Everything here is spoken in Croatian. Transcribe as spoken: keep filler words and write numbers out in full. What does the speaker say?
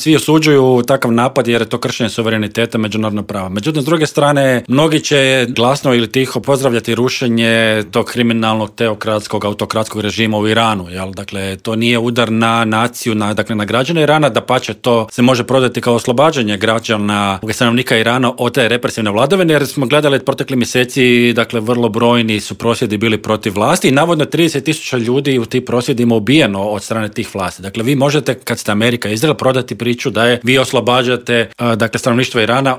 Svi osuđuju takav napad jer je to kršenje suvereniteta, međunarodnog prava. Međutim, s druge strane, mnogi će glasno ili tiho pozdravljati rušenje tog kriminalnog, teokratskog, autokratskog režima u Iranu. Jel? Dakle, to nije udar na naciju, na, dakle, na građane Irana, dapače to se može prodati kao oslobađanje građana, stanovnika Irana od te represivne vladavine, jer smo gledali protekli mjeseci, dakle, vrlo brojni su prosvjedi bili protiv vlasti i navodno trideset tisuća ljudi u tih prosvjedima ubijeno od strane tih vlasti. Dakle, vi možete, kad ste Amerika i Izrael, prodati priču da je vi oslobađate, dakle, stanovništvo Irana